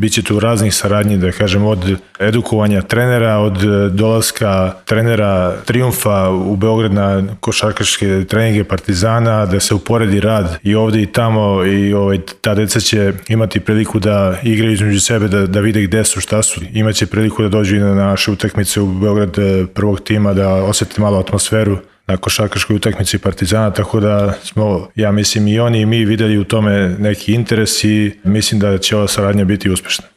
Biće tu raznih saradnji, da kažem, od edukovanja trenera, od dolaska trenera Trijumfa u Beograd na košarkaške treninge Partizana, da se uporedi rad i ovde i tamo i ta deca će imati priliku da igraju između sebe, da vide gde su, šta su. Imaće priliku da dođu i na naše utakmice u Beograd prvog tima, da osete malo atmosferu na košarkaškoj utakmici Partizana, tako da smo, ja mislim, i oni i mi videli u tome neki interes i mislim da će ova saradnja biti uspešna.